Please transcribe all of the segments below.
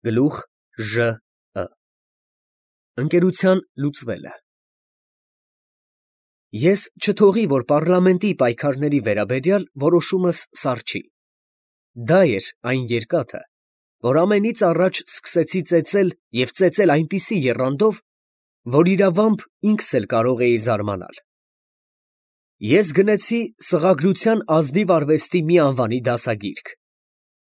Գլուխ Ժ. Ընկերության լուծվելը։ Ես չթողի, որ պարլամենտի պայքարների վերաբերյալ որոշումս սառչի։ Դա էր այն երկաթը, որ ամենից առաջ սկսեցի ծեծել և ծեծել այնպիսի եռանդով, որ իրավամբ ինքս էլ կարող էի զարմանալ։ Ես գնեցի սղագրության ազնիվ արվեստի մի անվանի դասագիրք,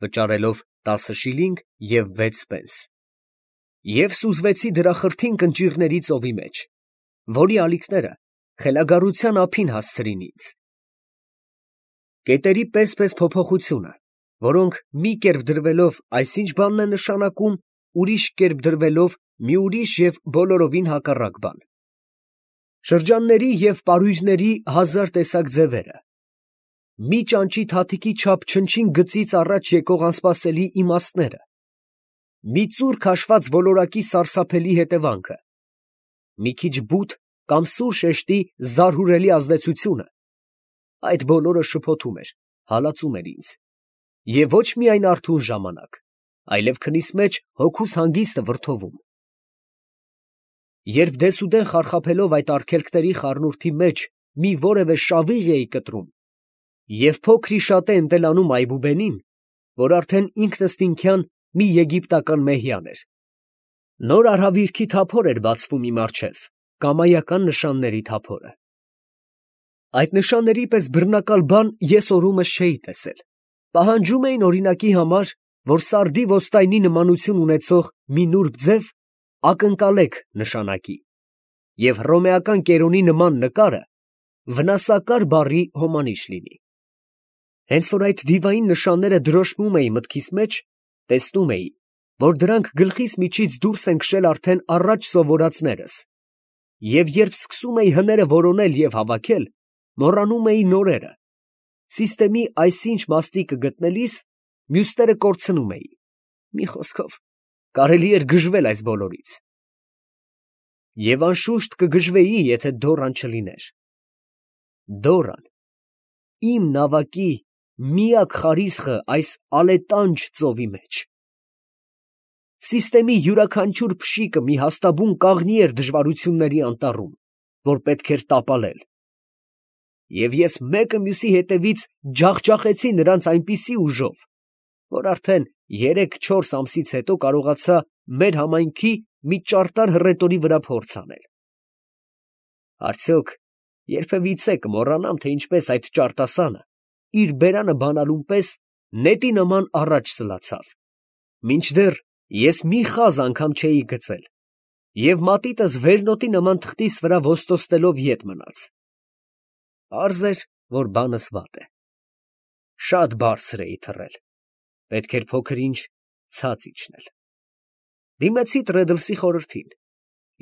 վճարելով 10 շիլինգ և 6 պենս, և սուզվեցի դրա խրթին կնճիռների ծովի մեջ, որի ալիքները խելագարության ափին հասցրին ինձ։ Կետերի պես փոփոխությունը, որոնք մի կերպ դրվելով այսինչ բանն է նշանակում, ուրիշ կերպ դրվելով մի ուրիշ և բոլորովին հակառակ բան։ Շրջանների և պարույրների հազար տեսակ ձևերը, մի ճանճի թաթիկի չափ չնչին գծից առաջ եկող անսպասելի իմաստները, մի ծուռ քաշված ոլորակի սարսափելի հետևանքը, մի քիչ բութ կամ սուր շեշտի զարհուրելի ազդեցությունը, այդ բոլորը շփոթում էր, հալածում էր ինձ, և ոչ միայն արթուն ժամանակ, այլև քնիս մեջ հոգուս հանգիստը վրդովում։ Երբ դեսուդեն խարխափելով այդ արգելքների խառնուրդի մեջ մի որևէ շավիղ էի կտրում և փոքր-ի-շատե ընտելանում Այբուբենին, որ արդեն ինքնըստինքյան մի եգիպտական մեհյան էր, նոր արհավիրքի թափոր էր բացվում իմ առջև, կամայական նշանների թափորը։ Այդ նշանների պես բռնակալ բան ես օրումս չէի տեսել, պահանջում էին օրինակի համար, որ սարդի ոստայնի նմանություն ունեցող մի նուրբ ձև ակնկալեք նշանակի, և հռոմեական կերոնի նման նկարը վնասակար բառի հոմանիշ լինի։ Հենց որ այդ դիվային նշանները դրոշմում էի մտքիս մեջ, տեսնում էի, որ դրանք գլխիս միջից դուրս են քշել արդեն առաջ սովորածներս, և երբ սկսում էի հները որոնել և հավաքել, մոռանում էի նորերը, այսինչ մաստիկը գտնելիս, մյուսները կորցնում էի, մի խոսքով, կարելի էր գժվել այս բոլորից։ Եվ անշուշտ կգժվեի, եթե Դոռան չլիներ։ Դոռան, իմ նավակի միակ խարիսխը այս ալետանջ ծովի մեջ։ Յուրաքանչյուր փշիկը մի հաստաբուն կաղնի էր դժվարությունների անտառում, որ պետք էր տապալել։ Եվ ես մեկը մյուսի հետևից ջախջախեցի նրանց այնպիսի ուժով, որ արդեն 3-4 ամսից հետո կարողացա մեր համայնքի մի ճարտար հռետորի վրա փորձ անել։ Արդյոք երբևիցե կմոռանամ, թե ինչպես այդ ճարտասանը իր բերանը բանալուն պես նետի նման առաջ սլացավ, մինչդեռ ես մի խազ անգամ չէի գծել, և մատիտս վերնոտի նման թղթիս վրա ոստոստելով ետ մնաց։ Պարզ էր, որ բանս վատ է։ Շատ բարձր էի թռել, պետք էր փոքր-ինչ ցած իջնել։ Դիմեցի Տրեդլսի խորհրդին,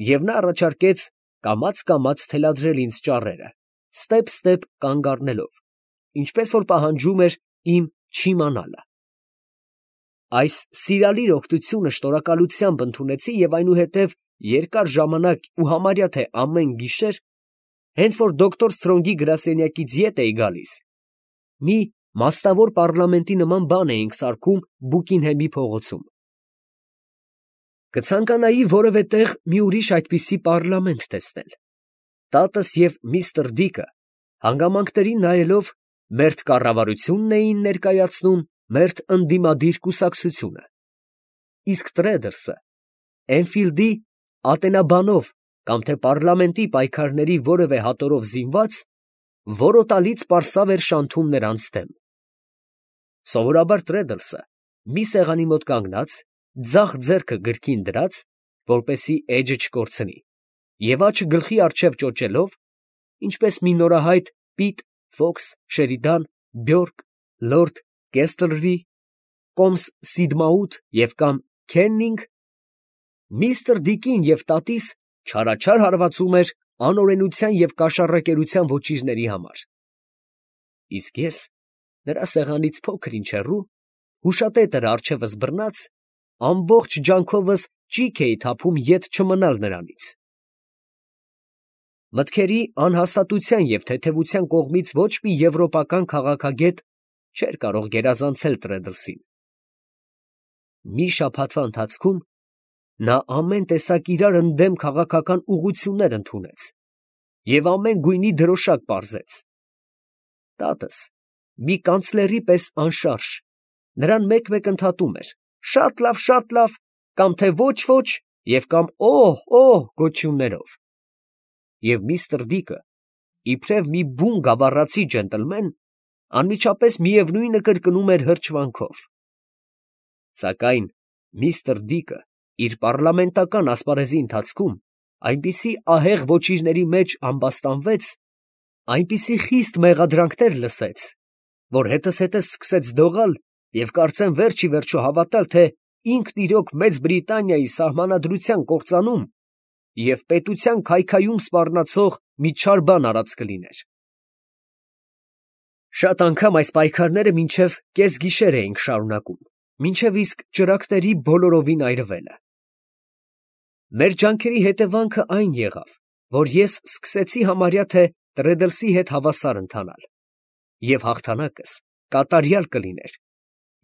և նա առաջարկեց կամաց թելադրել ինձ ճառերը, ստեպ կանգ առնելով, ինչպես որ պահանջում էր իմ չիմանալը։ Այս սիրալիր օգնությունը շնորհակալությամբ ընդունեցի և այնուհետև երկար ժամանակ ու համարյա թե ամեն գիշեր, հենց որ դոկտոր Սթրոնգի գրասենյակից ետ էի գալիս, մի մասնավոր պարլամենտի նման բան էինք սարքում Բուկինհեմի փողոցում։ Կցանկանայի որևէ տեղ մի ուրիշ այդպիսի պարլամենտ տեսնել։ Տատս և միստր Դիկը հանգամանքներին նայելով մերթ կառավարությունն էին ներկայացնում, մերթ ընդդիմադիր կուսակցությունը, իսկ Տրեդլսը Էնֆիլդի ատենաբանով կամ թե պարլամենտի պայքարների որևէ հատորով զինված, որոտալից պարսավ էր շանթում նրանց դեմ։ Սովորաբար Տրեդլսը մի սեղանի մոտ կանգնած, ձախ ձեռքը գրկին դրած, որպեսզի էջը չկորցնի, և աջը գլխի առջև ճոճելով, ինչպես մի նորահայտ Պիտ, Ֆոքս, Շերիդան, Բյորկ, լորդ Կեսթլրի, կոմս Սիդմաութ և կամ Քեննինգ, միստր Դիկին և տատիս չարաչար հարվածում էր անօրենության և կաշառակերության ոճիրների համար, իսկ ես նրա սեղանից փոքր-ինչ հեռու, հուշատետրը առջևս բռնած, ամբողջ ջանքովս ճիգ էի թափում ետ չմնալ նրանից։ Մտքերի անհաստատության և թեթևության կողմից ոչ մի եվրոպական քաղաքագետ չէր կարող գերազանցել Տրեդլսին։ Մի շաբաթվա ընթացքում նա ամեն տեսակ իրար ընդդեմ քաղաքական ուղղություններ ընդունեց և ամեն գույնի դրոշակ պարզեց։ Տատս, մի կանցլերի պես անշարժ, նրան մեկ-մեկ ընդհատում էր. շատ լավ, կամ թե ոչ և կամ օհ գոչյուններով։ Եվ միստր Դիկը, իբրև մի բուն գավառացի ջենտլմեն, անմիջապես միևնույնը կրկնում էր հրճվանքով։ Սակայն միստր Դիկը իր պառլամենտական ասպարեզի ընթացքում այնպիսի ահեղ ոճիրների մեջ ամբաստանվեց, այնպիսի խիստ մեղադրանքներ լսեց, որ հետզհետե սկսեց դողալ և կարծեմ վերջ ի վերջո հավատալ, թե ինքն իրոք Մեծ Բրիտանիայի սահմանադրության կործանում և պետության քայքայում սպառնացող մի չար բան արած կլիներ։ Շատ անգամ այս պայքարները մինչև կեսգիշեր էինք շարունակում, մինչև իսկ ճրագների բոլորովին այրվելը։ Մեր ջանքերի հետևանքը այն եղավ, որ ես սկսեցի համարյա թե Տրեդլսի հետ հավասար ընթանալ, և հաղթանակս կատարյալ կլիներ,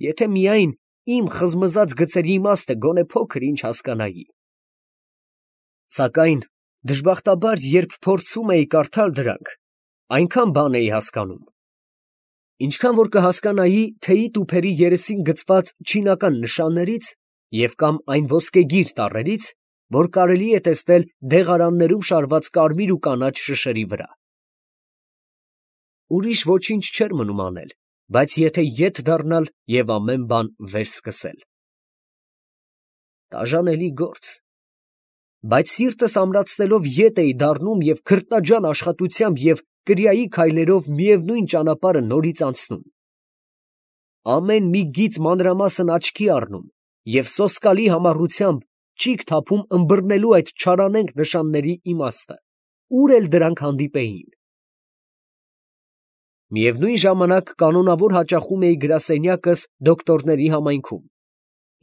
եթե միայն իմ խզմզած գծերի իմաստը գոնե փոքր-ինչ հասկանայի։ Սակայն դժբախտաբար, երբ փորձում էի կարդալ դրանք, այնքան բան էի հասկանում, ինչքան որ կհասկանայի թեյի տուփերի երեսին գծված չինական նշաններից և կամ այն ոսկեգիր տառերից, որ կարելի է տեսնել դեղարաններում շարված կարմիր ու կանաչ շշերի վրա։ Ուրիշ ոչինչ չէր մնում անել, բայց եթե ետ դառնալ և ամեն բան վերսկսել։ Տաժանելի գործ, բայց սիրտս ամրացնելով ետ էի դառնում և քրտնաջան աշխատությամբ և կրիայի քայլերով միևնույն ճանապարհը նորից անցնում։ Ամեն մի գիծ մանրամասն աչքի առնում և սոսկալի համառությամբ ճիգ թափում ըմբռնելու այդ չարանենգ նշանների իմաստը, ուր էլ դրանք հանդիպեին։ Միևնույն ժամանակ կանոնավոր հաճախում էի գրասենյակս դոկտորների համայնքում,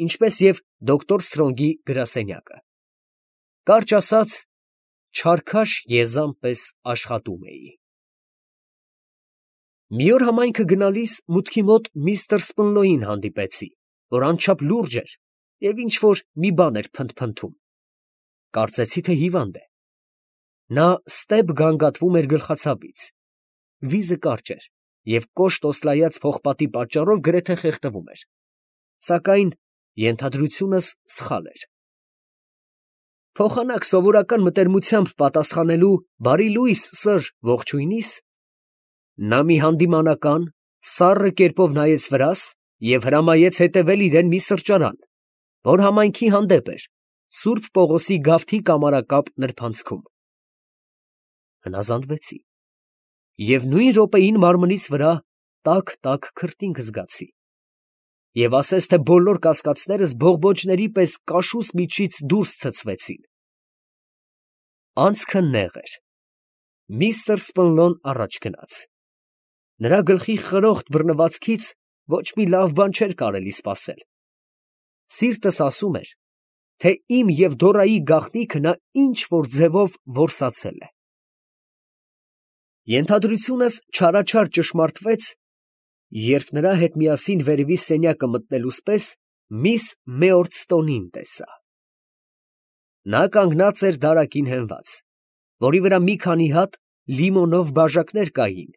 ինչպես և դոկտոր Սթրոնգի գրասենյակը։ Կարճ ասած, չարքաշ եզան պես աշխատում էի։ Մի օր համայնքը գնալիս մուտքի մոտ միստր Սպնլոյին հանդիպեցի, որ անչափ լուրջ էր և ինչ֊որ մի բան էր փնթփնթում։ Կարծեցի, թե հիվանդ է։ Նա ստեփ գանգատվում էր գլխացավից, վիզը կարճ էր և կոշտ օսլայած պողպատի պատճառով գրեթե խեղդվում էր, սակայն ենթադրությունս սխալ էր։ Փոխանակ սովորական մտերմությամբ պատասխանելու բարի լույս, սըր, ողջույնիս, նա մի հանդիմանական, սառը կերպով նայեց վրաս և հրամայեց հետևել իրան մի սրճարան, որ համայնքի հանդեպ էր, Սուրբ Պողոսի գավթի կամարակապ նրբանցքում։ Հնազանդվեցի և նույն րոպեին մարմնիս վրա տաք քրտինք զգացի և ասես թե բոլոր կասկածներս բողբոջների պես կաշուս միջից դուրս ցցվեցին։ Անցքը նեղ էր։ Միստր Սպնլոն առաջ գնաց։ Նրա գլխի խրոխտ բռնվածքից ոչ մի լավ բան չէր կարելի սպասել։ Սիրտս ասում էր, թե իմ և Դորայի գաղտնիքը նա ինչ֊որ ձևով որսացել է։ Ենթադրությունս չարաչար ճշմարտվեց, երբ նրա հետ միասին վերևի սենյակը մտնելուս պես միս Մեորդստոնին տեսա։ Նա կանգնած էր դարակին հենված, որի վրա մի քանի հատ լիմոնով բաժակներ կային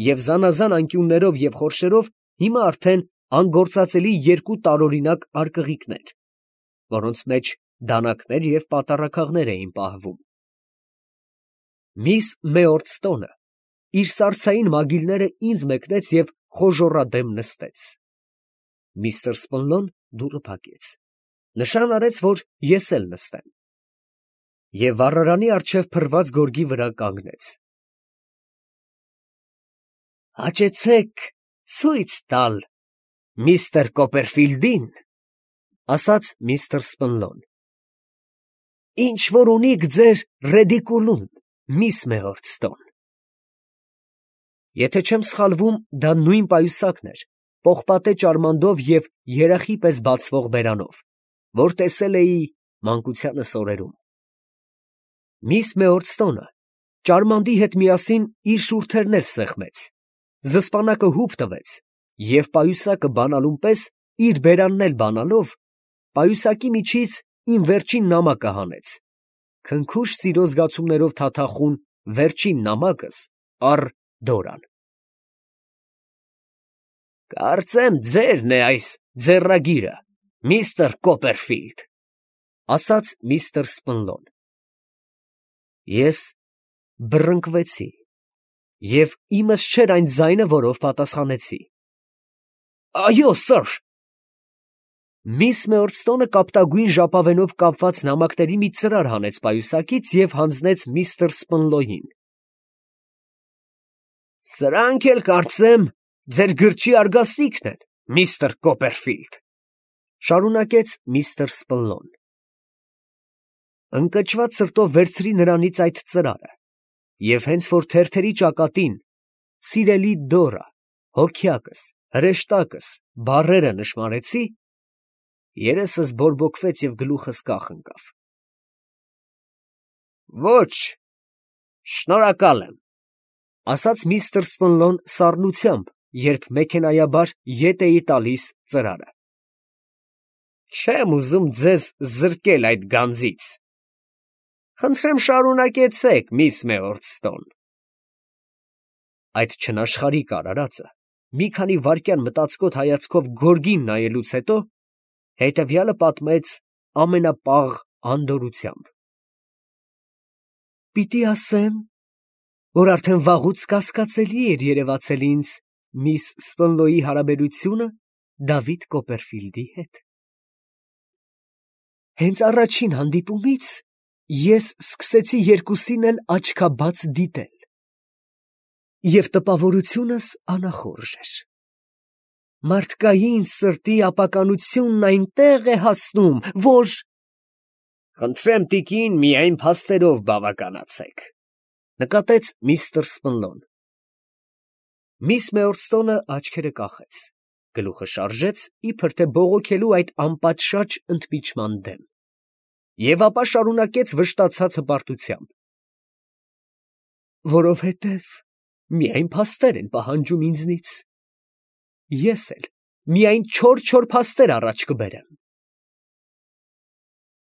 և զանազան անկյուններով և խորշերով հիմա արդեն անգործածելի երկու տարօրինակ արկղիկներ, որոնց մեջ դանակներ և պատառաքաղներ էին պահվում։ Միս Մեորդստոնը իր սառցային մագիլները ինձ մեկնեց և խոժոռադեմ նստեց։ Միստր Սպնլոն դուռը փակեց, նշան արեց, որ ես էլ նստեմ, և վառարանի առջև փռված գորգի վրա կանգնեց։ «Հաճեցեք ցույց տալ միստր Կոպերֆիլդին, ֊ ասաց միստր Սպնլոն, ֊ ինչ որ ունիք ձեր ռեդիկուլում, միս Մեորդստոն»։ Եթե չեմ սխալվում, դա նույն պայուսակն էր, պողպատե ճարմանդով և երախի պես բացվող բերանով, որ տեսել էի մանկությանս օրերում։ Միս Մեորդստոնը ճարմանդի հետ միասին իր շուրթերն էլ սեղմեց, զսպանակը հուպ տվեց և պայուսակը բանալուն պես իր բերանն էլ բանալով պայուսակի միջից իմ վերջին նամակը հանեց, քնքուշ սիրո զգացումներով թաթախուն վերջին նամակս առ Դորան։ «Կարծեմ ձերն է այս ձեռագիրը, միստր Կոպերֆիլդ», ասաց միստր Սպնլոն։ Ես բռնկվեցի, և իմս չէր այն ձայնը, որով պատասխանեցի. «Այո, սըր»։ Միս Մեորդստոնը կապտագույն ժապավենով կապված նամակների մի ծրար հանեց պայուսակից և հանձնեց միստր Սպնլոյին։ «Սրանք էլ կարծեմ ձեր գրչի արգաստիքն են, միստր Կոպերֆիլդ», շարունակեց միստր Սպնլոն։ Ընկճված սրտով վերցրի նրանից այդ ծրարը, և հենց որ թերթերի ճակատին «Սիրելի Դորա», «հոգյակս», «հրեշտակս» բառերը նշմարեցի, երեսս բորբոքվեց և գլուխս կախ ընկավ։ «Ոչ, շնորհակալ եմ», ասաց միստր Սպնլոն սառնությամբ, երբ մեքենայաբար ետ էի տալիս ծրարը։ «Չեմ ուզում ձեզ զրկել այդ գանձից։ Խնդրեմ շարունակեցեք, միս Մեորդստոն»։ Այդ չնաշխարհիկ արարածը մի քանի վայրկյան մտածկոտ հայացքով գորգին նայելուց հետո հետևյալը պատմեց ամենապաղ անդորրությամբ. «Պիտի ասեմ, որ արդեն վաղուց կասկածելի էր երևացել ինձ միս Սպնլոյի հարաբերությունը Դավիթ Կոպերֆիլդի հետ։ Հենց առաջին հանդիպումից ես սկսեցի երկուսին էլ աչքաբաց դիտել, և տպավորությունս անախորժ էր։ Մարդկային սրտի ապականությունն այնտեղ է հասնում, որ…» «Խնդրեմ, տիկին, միայն փաստերով բավականացեք», նկատեց միստր Սպնլոն։ Միս Մեորդստոնը աչքերը կախեց, գլուխը շարժեց, իբր թե բողոքելու այդ անպատշաճ ընդմիջման դեմ, և ապա շարունակեց վշտացած հպարտությամբ. «Որովհետև միայն փաստեր են պահանջում ինձնից, ես էլ միայն չոր փաստեր առաջ կբերեմ»։